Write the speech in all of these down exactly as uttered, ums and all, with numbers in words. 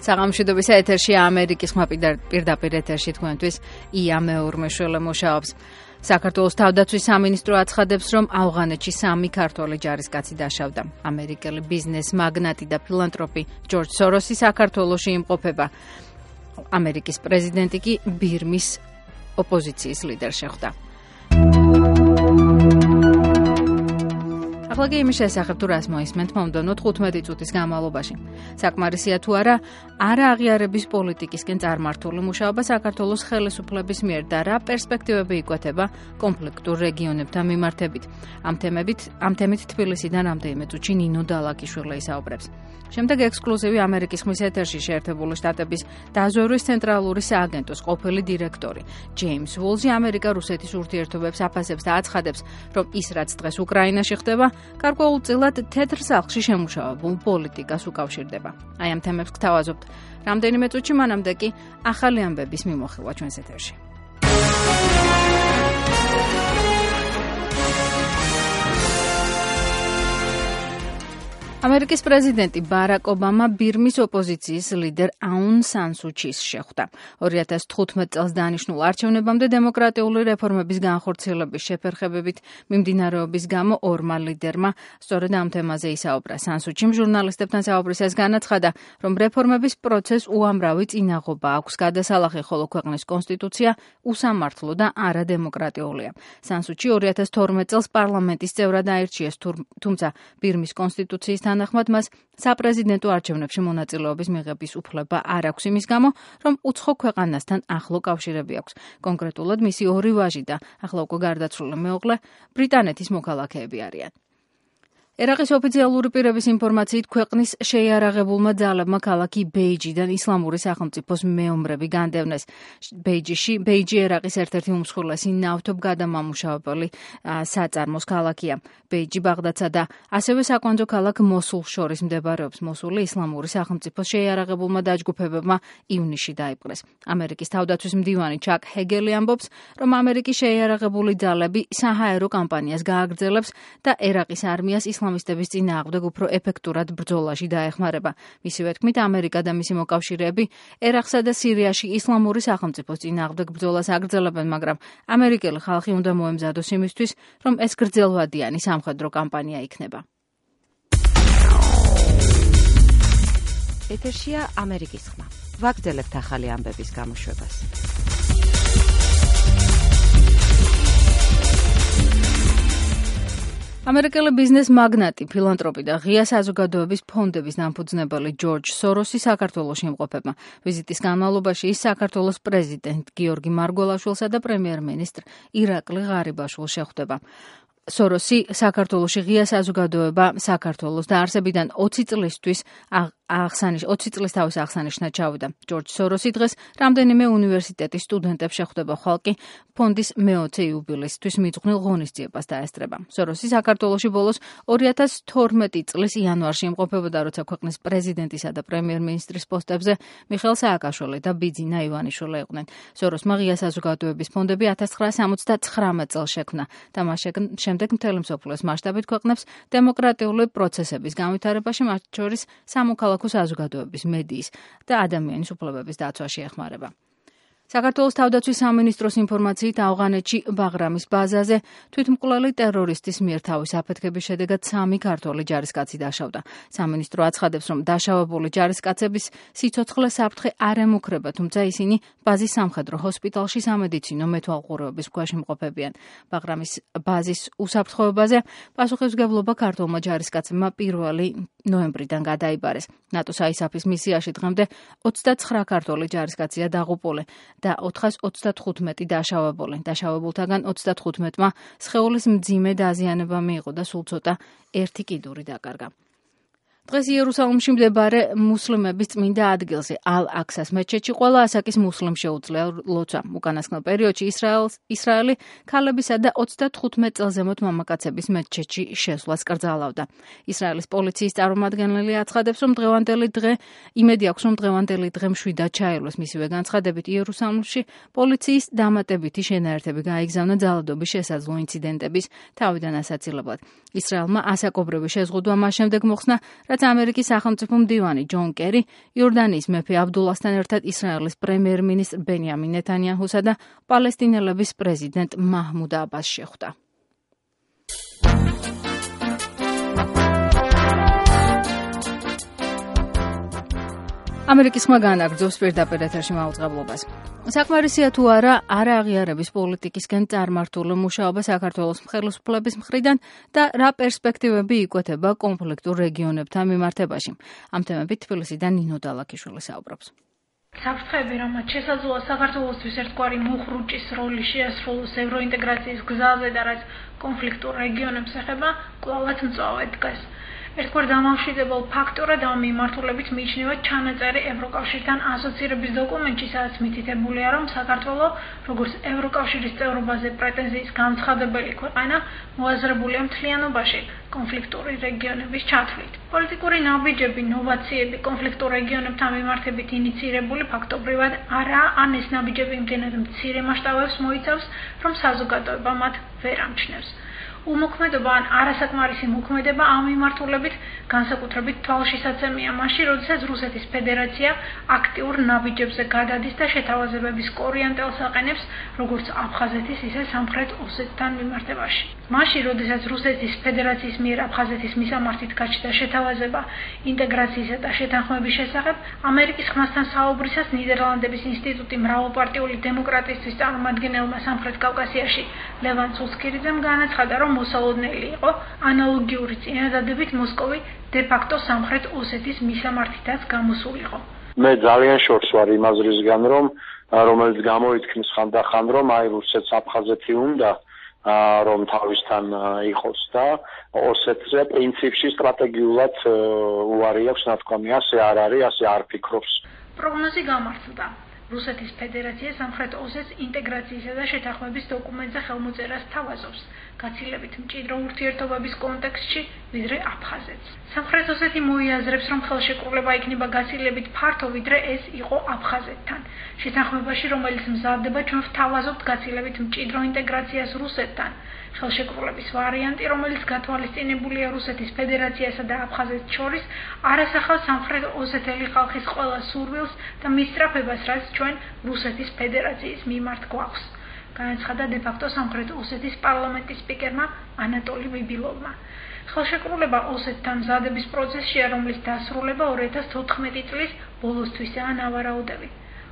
საღამოშვიდობის ეთერში ამერიკის ხმა პირდაპირ ეთერში თქვენთვის ია მეორმეშველი მუშაობს. საქართველოს თავდაცვის სამინისტრო აცხადებს, რომ ავღანეთში სამი ქართველი ჯარისკაცი დაშავდა. ამერიკელი ბიზნეს მაგნატი და ფილანტროპი ჯორჯ სოროსი საქართველოში იმყოფება. ამერიკის პრეზიდენტი კი ბირმის ოპოზიციის ლიდერს შეხვდა. ახლა კი იმის შესახებ თუ რას მოისმენთ მომდევნო თხუთმეტი წუთის განმავლობაში. საკმარისია თუ არა, არა აღიარების პოლიტიკისკენ წარმართული მუშაობა საქართველოს ხელისუფლების მიერ და რა პერსპექტივები იკვეთება კონფლიქტურ რეგიონებთან მიმართებით. ამ თემებით, ამ თემით თბილისიდან რამდენიმე წუთში ნინო დალაკიშვილი ისაუბრებს. შემდეგ ექსკლუზივი ამერიკის ხმის ეთერში შეერთებული შტატების დაზვერვის ცენტრალური სააგენტოს ყოფილი დირექტორი ჯეიმს ვოლზი ამერიკა-რუსეთის ურთიერთობებს აფასებს და აცხადებს, რომ ის რაც დღეს უკრაინაში ხდება, გარკვეულწილად თეთრ სახლში შემუშავებულ პოლიტიკას უკავშირდება. აი ამ თემებს გთავაზობთ რამდენიმე წუთში, მანამდე კი ახალი ამბების მიმოხილვა ჩვენს ეთერში. ამერიკის პრეზიდენტი ბარაკ ობამა ბირმის ოპოზიციის ლიდერ აუნ სან სუ ჩის შეხვდა. ორი ათას თხუთმეტ წელს დანიშნულ არჩევნებამდე დემოკრატიული რეფორმების განხორციელების შეფერხებებით მიმდინარეობის გამო ორმა ლიდერმა სწორედ ამ თემაზე ისაუბრა. სან სუ ჩიმ ჟურნალისტებთან საუბრისას განაცხადა, რომ რეფორმების პროცესს უამრავი წინაღობა აქვს გადასალახი, ხოლო ქვეყნის კონსტიტუცია უსამართლო და არადემოკრატიულია. სან სუ ჩი ორი ათას თორმეტ წელს პარლამენტის წევრად აირჩიეს, თუმცა ბირმის კონსტიტუციის თანახმად მას საპრეზიდენტო არჩევნებში მონაწილეობის მიღების უფლება არ აქვს იმის გამო, რომ უცხო ქვეყანასთან ახლო კავშირები აქვს. კონკრეტულად მისი ორი ვაჟი და ახლა უკვე გარდაცვლილი მეუღლე ბრიტანეთის მოქალაქეები არიან. ერაყის ოფიციალური პირების ინფორმაციით ქვეყნის შეიარაღებულმა ძალებმა ქალაქი ბეიჯიდან ისლამური სახელმწიფოს მეომრები განდევნეს. ბეიჯში, ბეიჯი ერაყის ერთ-ერთი უმსხვილესი ნავთობგადამამუშავებელი საწარმოს ქალაქია. ბეიჯი ბაღდადსა და ასევე საკვანძო ქალაქ მოსულს შორის მდებარეობს. მოსული ისლამური სახელმწიფოს შეიარაღებულმა დაჯგუფებებმა ივნისში დაიპყრეს. ამერიკის თავდაცვის მდივანი ჩაკ ჰეგელი ამბობს, რომ ამერიკის შეიარაღებული ძალები საჰაერო კამპანიას გააგრძელებს და ერაყის არმიას ისლამისტების წინააღმდეგ უფრო ეფექტურად ბრძოლაში დაეხმარება. მისივე თქმით, ამერიკა და მისი მოკავშირეები ერაყსა და სირიაში ისლამური სახელმწიფოს წინააღმდეგ ბრძოლას აგრძელებენ, მაგრამ ამერიკელი ხალხი უნდა მოემზადოს იმისთვის, რომ ეს გრძელვადიანი სამხედრო კამპანია იქნება. ეთერშია ამერიკის ხმა. ვაგრძელებთ ახალი ამბების გამოშვებას. ამერიკელი ბიზნეს მაგნატი, ფილანტროპი და ღია საზოგადოების ფონდების დამფუძნებელი ჯორჯ სოროსი საქართველოში იმყოფება. ვიზიტის განმავლობაში ის საქართველოს პრეზიდენტ გიორგი მარგველაშვილსა და პრემიერ-მინისტრ ირაკლი ღარიბაშვილს შეხვდება. სოროსი საქართველოში ღია საზოგადოება საქართველოს დაარსებიდან ოცი წლისთვის აღსანიშ ოცი წლის თავის აღსანიშნად ჩავიდა. ჯორჯ სოროსი დღეს რამდენიმე უნივერსიტეტის სტუდენტებს შეხვდება, ხვალ კი ფონდის მეოცე იუბილეისთვის მიძღვნილ ღონისძიებას დაესწრება. სოროსი საქართველოში ბოლოს ორი ათას თორმეტი წლის იანვარში იმყოფებოდა, როცა ქვეყნის პრეზიდენტისა და პრემიერ-მინისტრის პოსტებზე მიხეილ სააკაშვილი და ბიძინა ივანიშვილი იყვნენ. სოროსმა ღია საზოგადოების ფონდები ათას ცხრაასა სამოცდათხრამეტ წელს შექმნა და მას შემდეგ მთელი მსოფლიოს მასშტაბით ქვეყნებს დემოკრატიული პროცესების განვითარებაში, მათ შორის სამოქალაქო საზოგადოების, მედიის და ადამიანის უფლებების დაცვაში ეხმარება. საქართველოს თავდაცვის სამინისტროს ინფორმაციით ავღანეთში ბაღრამის ბაზაზე თვითმკვლელი ტერორისტის მიერ თავის აფეთქების შედეგად სამი ქართველი ჯარისკაცი დაშავდა. სამინისტრო აცხადებს, რომ დაშავებული ჯარისკაცების სიცოცხლე საფრთხე არ ემუქრება, თუმცა ისინი ბაზის სამხედრო ჰოსპიტალში სამედიცინო მეთვალყურეობის ქვეშ იმყოფებიან. ბაღრამის ბაზის უსაფრთხოებაზე პასუხისმგებლობა ქართველმა ჯარისკაცებმა პირველი ნოემბრიდან გადაიბარეს. ნატოს აისაფის მისიაში დღემდე ოცდაცხრა ქართველი ჯარისკაცია დაღუპული და ოთხას ოცდათხუთმეტი დაშავებული. დაშავებულთაგან ოცდათხუთმეტმა სხეულის მძიმე დაზიანება მიიღო და სულ ცოტა ერთი კიდური დაკარგა. დღეს იერუსალიმში მდებარე მუსლიმების წმინდა ადგილზე ალ-აქსას მეჩეთში ყველა ასაკის მუსლიმ შეუძლია ლოცვა. უკანასკნელ პერიოდში ისრაელი ქალებისა და ოცდათხუთმეტ წელზემოთ მამაკაცების მეჩეთში შესვლას კრძალავდა. ისრაელის პოლიციის წარმომადგენელი აცხადებს, რომ დღევანდელი დღე იმედი აქვს, რომ დღევანდელი დღე მშვიდად ჩაილოს. მისივე განცხადებით, იერუსალიმში პოლიციის დამატებითი შენაერთები გაიგზავნა ძალადობის შესაძლო ინციდენტების თავიდან ასაცილებლად. ისრაელმა ასაკობრივი შეზღუდვა მას შემდეგ მოხსნა, რაც როგორც ამერიკის სახელმწიფო მდივანი ჯონ კერი, იორდანიის მეფე აბდულასთან ერთად ისრაელის პრემიერ-მინისტრ ბენიამინ ნეთანიაჰუსა და პალესტინელების პრეზიდენტ მაჰმუდ აბასს შეხვდა. ამერიკის ხმა განაგრძობს პირდაპირ ეთერში მაუწყებლობას. საკმარისია თუ არა არა აღიარების პოლიტიკისკენ წარმართული მუშაობა საქართველოს ხელისუფლების მხრიდან და რა პერსპექტივები იკვეთება კონფლიქტურ რეგიონებთან მიმართებაში. ამ თემებით თბილისიდან ნინო დალაქიშვილი საუბრობს. საფრთხეები, რამაც შესაძლოა საქართველოსთვის ერთგვარი მუხრუჭის როლი შეასრულოს ევროინტეგრაციის გზაზე და რაც კონფლიქტურ რეგიონებს ეხება, კვლავაც მწვავედ დგას. ერთგვარ დამამშვიდებელ ფაქტორად ამ მიმართულებით მიიჩნევა ჩანაწერი ევროკავშირთან ასოცირების დოკუმენტში, სადაც მითითებულია, რომ საქართველო, როგორც ევროკავშირის წევრობაზე პრეტენზიის გამცხადებელი ქვეყანა, მოაზრებულია მთლიანობაში კონფლიქტური რეგიონების ჩათვლით. პოლიტიკური ნაბიჯები, ნოვაციები კონფლიქტურ რეგიონებთან მიმართებით ინიცირებული ფაქტობრივად არაა, ან ეს ნაბიჯები იმდენად მცირე მასშტაბებს მოიცავს, რომ საზოგადოება მათ ვერ ამჩნევს. უმოქმედობა ან არასაკმარისი მოქმედება ამ მიმართულებით განსაკუთრებით თვალშისაცემია მაშინ, როდესაც რუსეთის ფედერაცია აქტიურ ნაბიჯებზე გადადის და შეთავაზებების კორიანტელს აყენებს როგორც აფხაზეთის, ისე სამხრეთ ოსეთთან მიმართებაში. მაშინ, როდესაც რუსეთის ფედერაციის მიერ აფხაზეთის მისამართით გაჩნდა შეთავაზება ინტეგრაციისა და შეთანხმების შესახებ, ამერიკის ხმასთან საუბრისას ნიდერლანდების ინსტიტუტი მრავალპარტიული დემოკრატიისთვის წარმომადგენელმა სამხრეთ კავკასიაში ლევან სულსკირიძემ განაცხადა, რომ მოსალოდნელი იყო ანალოგიური წინადადებით მოსკოვი დე-ფაქტო სამხრეთ ოსეთის მისამართითაც გამოსულიყო. მე ძალიან შორს ვარ იმ აზრისგან, რომ რომელიც გამოითქმის ხანდახან, რომ აი რუსეთს აფხაზეთი უნდა რომ თავისთან იყოს და ოსეთზე პრინციპში სტრატეგიულად უარი აქვს, ნათქვამი, ასე არ არის, ასე არ ფიქრობს. პროგნოზი გამართლდა. რუსეთის ფედერაცია სამხრეთ ოსეთს ინტეგრაციისა და შეთანხმების დოკუმენტზე ხელმოწერას თავაზობს, გაცილებით მჭიდრო ურთიერთობების კონტექსტში, ვიდრე აფხაზეთს. სამხრეთ ოსეთი მოიაზრებს, რომ ხელშეკრულება იქნება გაცილებით ფართო, ვიდრე ეს იყო აფხაზეთთან. შეთანხმებაში, რომელიც მზადდება, ჩვენ ვთავაზობთ გაცილებით მჭიდრო ინტეგრაციას რუსეთთან. ხელშეკრულების ვარიანტი, რომელიც გათვალისწინებულია რუსეთის ფედერაციასა და აფხაზეთს შორის, არასახავს სამხრეთ ოსეთელი ხალხის ყველა სურვილს და მისწრაფებას, რაც ჩვენ რუსეთის ფედერაციის მიმართ გვაქვს. განაცხადა დე-ფაქტო სამხრეთ ოსეთის პარლამენტის სპიკერმა ანატოლი ბიბილოვმა. ხელშეკრულება ოსეთთან მზადების პროცესშია, რომლის დასრულება ორი ათას თოთხმეტი წლის ბოლოსთვისაა ნავარაუდები.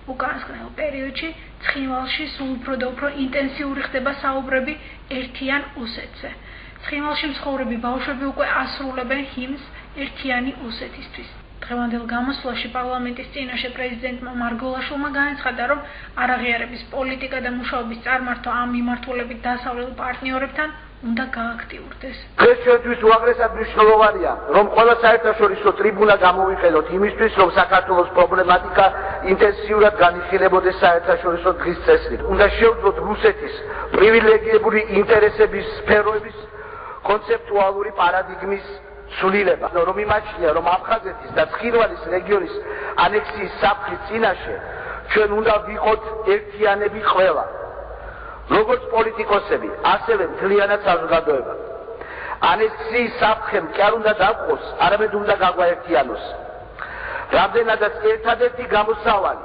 უკანასკნელ პერიოდში ცხინვალში სულ უფრო და უფრო ინტენსიური ხდება საუბრები ერთიან ოსეთზე. ცხინვალში მცხოვრები ბავშვები უკვე ასრულებენ ჰიმნს ერთიანი ოსეთისთვის. დღევანდელ გამოსვლაში პარლამენტის წინაშე პრეზიდენტმა მარგოლაშვილმა განაცხადა, რომ არაღიარების პოლიტიკა და მუშაობის წარმართვა ამ მიმართულებით დასავლელ პარტნიორებთან უნდა გააქტიურდეს. დღეს ჩვენთვის უაღრესად მნიშვნელოვანია, რომ ყველა საერთაშორისო ტრიბუნა გამოვიყენოთ იმისთვის, რომ საქართველოს პრობლემატიკა ინტენსიურად განიხილებოდეს საერთაშორისო დღის წესრიგით. უნდა შევძლოთ რუსეთის პრივილეგირებული ინტერესების სფეროების კონცეპტუალური პარადიგმის სულილება, რომ იმაჩნია, რომ აფხაზეთის და ცხინვალის რეგიონის ანექსიის საფრთხის წინაშე ჩვენ უნდა ვიყოთ ერთიანები ყველა. როგორც პოლიტიკოსები, ასევე მთლიანად საზოგადოება. ანექსიის საფრთხემ კი არ უნდა დაგყოს, არამედ უნდა გაგვაერთიანოს. რამდენადაც ერთადერთი გამოსავალი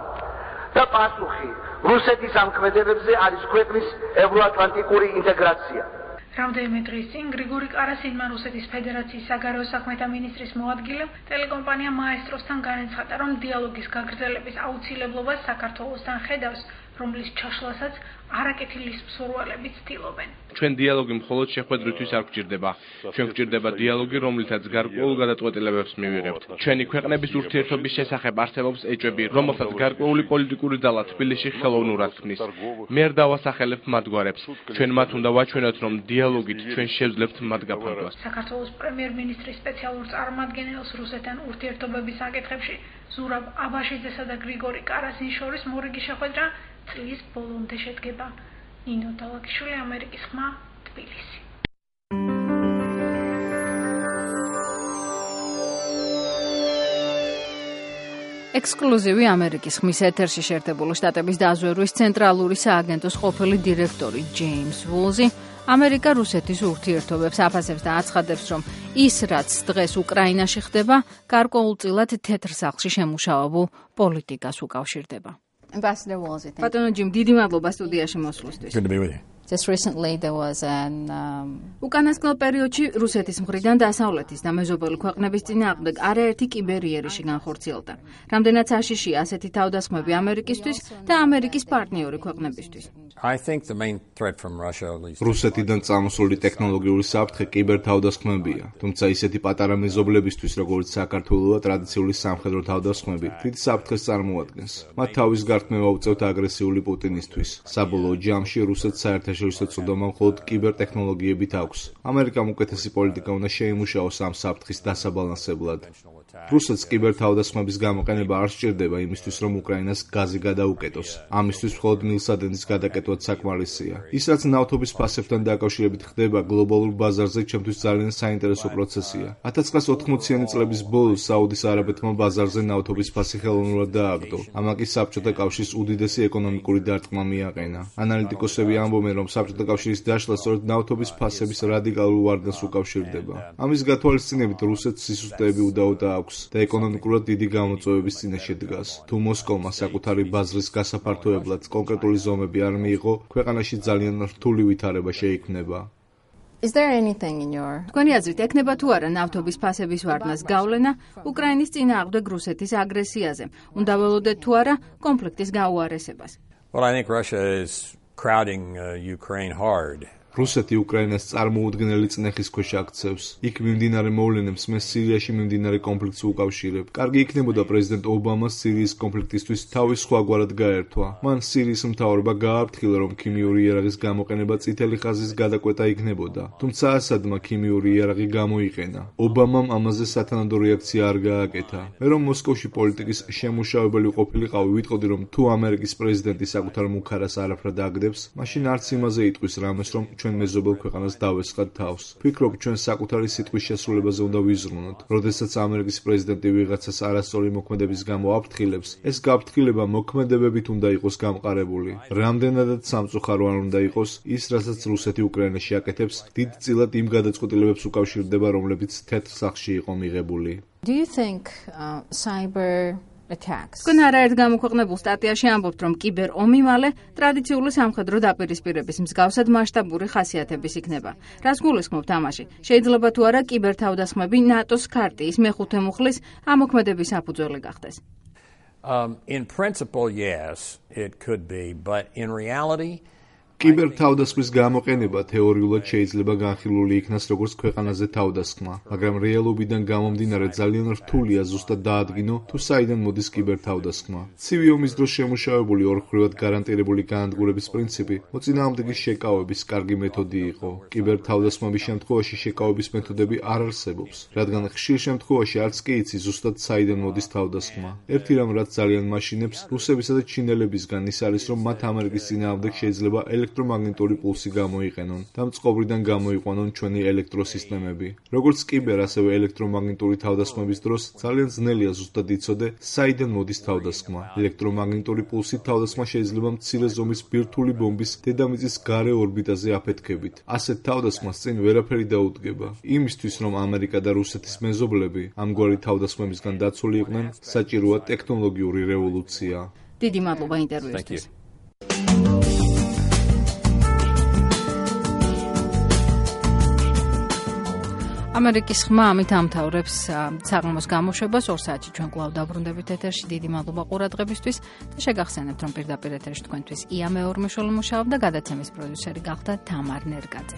და პასუხი რუსეთის ამ ქმედებებზე არის ქვეყნის ევროატლანტიკური ინტეგრაცია. რამდენიმე დღის წინ გრიგორი კარასინმა რუსეთის ფედერაციის საგარეო საქმეთა მინისტრის მოადგილემ ტელეკომპანია მაესტროსთან განაცხადა, რომ დიალოგის გაგრძელების აუცილებლობას საქართველოსთან ხედავს, რომლის ჩაშლასაც არაკეთილის მსურველები ცდილობენ. ჩვენ დიალოგი მხოლოდ შეხვედრისთვის არ გვჭირდება. ჩვენ გვჭირდება დიალოგი, რომლითაც გარკვეულ გადაწყვეტილებებს მივიღებთ. ჩვენი ქვეყნების ურთიერთობის შესახებ არსებობს ეჭვები, რომელსაც გარკვეული პოლიტიკური ძალა თბილისში ხელოვნურად ქმნის. მე არ დავასახელებ მათგვარებს. ჩვენ მათ უნდა ვაჩვენოთ, რომ დიალოგით ჩვენ შევძლებთ მათ გაფართვას. საქართველოს პრემიერ-მინისტრის სპეციალურ წარმომადგენელს რუსეთთან ურთიერთობების საკითხებში ზურაბ აბაშიძესა და გრიგორი კარასინის შორის მორიგი შეხვედრა წლის ბოლომდე შედგება. ნინო დალაქიშვილი, ამერიკის ხმა, თბილისი. ექსკლუზივი ამერიკის ხმის ეთერში შეერთებული შტატების დაზვერვის ცენტრალური სააგენტოს ყოფილი დირექტორი ჯეიმს ვულზი ამერიკა რუსეთის ურთიერთობებს აფასებს და აცხადებს, რომ ის, რაც დღეს უკრაინაში ხდება, გარკვეულწილად თეთრ სახლში შემუშავებულ პოლიტიკას უკავშირდება. ბატონო ჯიმ, დიდი მადლობა სტუდიაში მოსვლისთვის. Good to be with you. Just recently there was an um... უკანასკნელ პერიოდში რუსეთის მხრიდან დასავლეთის და მეზობელი ქვეყნების წინააღმდეგ არაერთი კიბერიერიში განხორციელდა. რამდენად საშიშია ასეთი თავდასხმები ამერიკისთვის და ამერიკის პარტნიორი ქვეყნებისთვის. I think the main threat from Russia at least. რუსეთიდან წამოსული ტექნოლოგიური საფრთხე კიბერთავდასხმებია, თუმცა ისეთი პატარა მეზობლებისთვის, როგორც საქართველოა, ტრადიციული სამხედრო თავდასხმები დიდ საფრთხეს წარმოადგენს. მათ თავის გართმევა უწევთ აგრესიული პუტინისთვის. საბოლოო ჯამში რუსეთს საერთაშორისო წოდომა მხოლოდ კიბერტექნოლოგიებით აქვს. ამერიკამ უკეთესი პოლიტიკა უნდა შეიმუშაოს ამ საფრთხის დასაბალანსებლად. რუსეთს კიბერთავდასხმების გამოყენება არ სჭირდება იმისთვის, რომ უკრაინას გაზი გადაუკეტოს. ამისთვის მხოლოდ მილსადენის გადაკეთვა საკმარისია. ის, რაც ნავთობის ფასებთან დაკავშირებით ხდება გლობალურ ბაზარზე, ჩემთვის ძალიან საინტერესო პროცესია. ათას ცხრაასი ოთხმოციანი წლების ბოლოს საუდის არაბეთმა ბაზარზე ნავთობის ფასი ხელოვნურად დააგდო. ამაკი საბჭოთა კავშირის უდიდესი ეკონომიკური დარტყმა მიაყენა. ანალიტიკოსები ამბობენ, რომ საბჭოთა კავშირის დაშლა სწორედ ნავთობის ფასების რადიკალურ ვარდნას უკავშირდება. ამის გათვალისწინებით რუსეთს სისუსტეები უდაოდა აქვს და ეკონომიკურად დიდი გამოწვევების წინაშე დგას. თუ მოსკოვმა საკუთარი ბაზრის გასაფართოებლად კონკრეტული ზომები არ მიიღო, ქვეყანაში ძალიან რთული ვითარება შეიქმნება. Is there anything in your თქვენი აზრით ექნება თუ არა ნავთობის ფასების ვარდნას გავლენა უკრაინის წინააღმდეგ რუსეთის აგრესიაზე? უნდა ველოდეთ თუ არა კონფლიქტის გაუარესებას? Well, I think Russia is crowding uh, Ukraine hard. რუსეთი უკრაინას წარმოუდგენელი წნეხის ქვეშ აქცევს. იქ მიმდინარე მოვლენებს მე სირიაში მიმდინარე კონფლიქტს უკავშირებ. კარგი იქნებოდა პრეზიდენტ ობამას სირიის კონფლიქტისთვის თავის სხვაგვარად გაერთვა. მან სირიის მთავრობა გააფრთხილა, რომ ქიმიური იარაღის გამოყენება წითელი ხაზის გადაკვეთა იქნებოდა. თუმცა ასადმა ქიმიური იარაღი გამოიყენა. ობამამ ამაზე სათანადო რეაქცია არ გააკეთა. მე რომ მოსკოვში პოლიტიკის შემუშავებელი ყოფილიყავი, ვიტყოდი, რომ თუ ამერიკის პრეზიდენტი საკუთარ მუქარას არაფრად აგდებს, მაშინ არც იმაზე იტყვის რამეს, რომ ჩვენ მეზობელ ქვეყანას დავესხათ თავს. ვფიქრობ, ჩვენ საკუთარი სიტყვის შესრულებაზე უნდა ვიზრუნოთ. როდესაც ამერიკის პრეზიდენტი ვიღაცას არასწორი მოქმედების გამო აფრთხილებს, ეს გაფრთხილება მოქმედებებით უნდა იყოს გამყარებული. რამდენადაც სამწუხარო არ უნდა იყოს ის, რასაც რუსეთი უკრაინაში აკეთებს, დიდწილად იმ გადაწყვეტილებებს უკავშირდება, რომლებიც თეთრ სახლში იყო მიღებული. Do you think uh, cyber თქვენ არაერთ გამოქვეყნებულ სტატიაში ამბობთ, რომ კიბერ ომი მალე ტრადიციული სამხედრო დაპირისპირების მსგავსად მასშტაბური ხასიათების იქნება. რას გულისხმობთ ამაში? შეიძლება თუ არა კიბერთავდასხმები ნატოს ქარტიის მეხუთე მუხლის ამოქმედების საფუძველი გახდეს? Um, in principle, yes, it could be, but in reality კიბერთავდასხმის გამოყენება თეორიულად შეიძლება განხილული იქნას როგორც ქვეყანაზე თავდასხმა, მაგრამ რეალობიდან გამომდინარე ძალიან რთულია ზუსტად დაადგინო, თუ საიდან მოდის კიბერთავდასხმა. ცივი ომის დროს შემუშავებული ორმხრივად გარანტირებული განადგურების პრინციპი მოწინააღმდეგის შეკავების კარგი მეთოდი იყო. კიბერთავდასხმების შემთხვევაში შეკავების მეთოდები არ არსებობს, რადგან ხშირ შემთხვევაში არც კი იცი ზუსტად საიდან მოდის თავდასხმა. ერთი რამ, რაც ძალიან მაშინებს რუსებისა და ჩინელებისგან ის არის, რომ მათ ამერიკის წინააღმდეგ შეიძლება ელექტრომაგნიტური პულსი გამოიყენონ და მწყობრიდან გამოიყვანონ ჩვენი ელექტროსისტემები. როგორც კიბერ, ასევე ელექტრომაგნიტური თავდასხმების დროს ძალიან ძნელია ზუსტად იცოდე, საიდან მოდის თავდასხმა. ელექტრომაგნიტური პულსით თავდასხმა შეიძლება მცირე ზომის ბირთვული ბომბის დედამიწის გარე ორბიტაზე აფეთქებით. ასეთ თავდასხმას წინ ვერაფერი დაუდგება. იმისთვის, რომ ამერიკა და რუსეთის მეზობლები ამგვარი თავდასხმებისგან დაცული იყვნენ, საჭიროა ტექნოლოგიური რევოლუცია. დიდი მადლობა ინტერვიუსთვის. ამერიკის ხმა ამით ამთავრებს საღამოს გამოშვებას. ორ საათში ჩვენ კვლავ დაბრუნდებით ეთერში. დიდი მადლობა ყურადღებისთვის და შეგახსენებთ, რომ პირდაპირ ეთერში თქვენთვის ია მეორმეშველი მუშაობდა, გადაცემის პროდიუსერი გახდა თამარ ნერგაძე.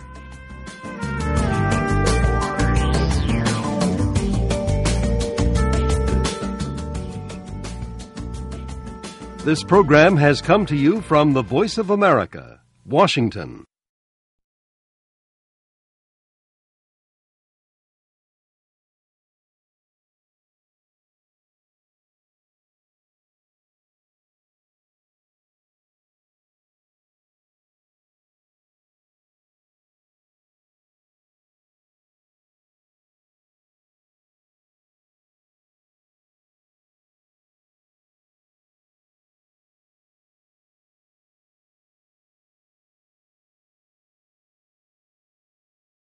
This program has come to you from the Voice of America, Washington.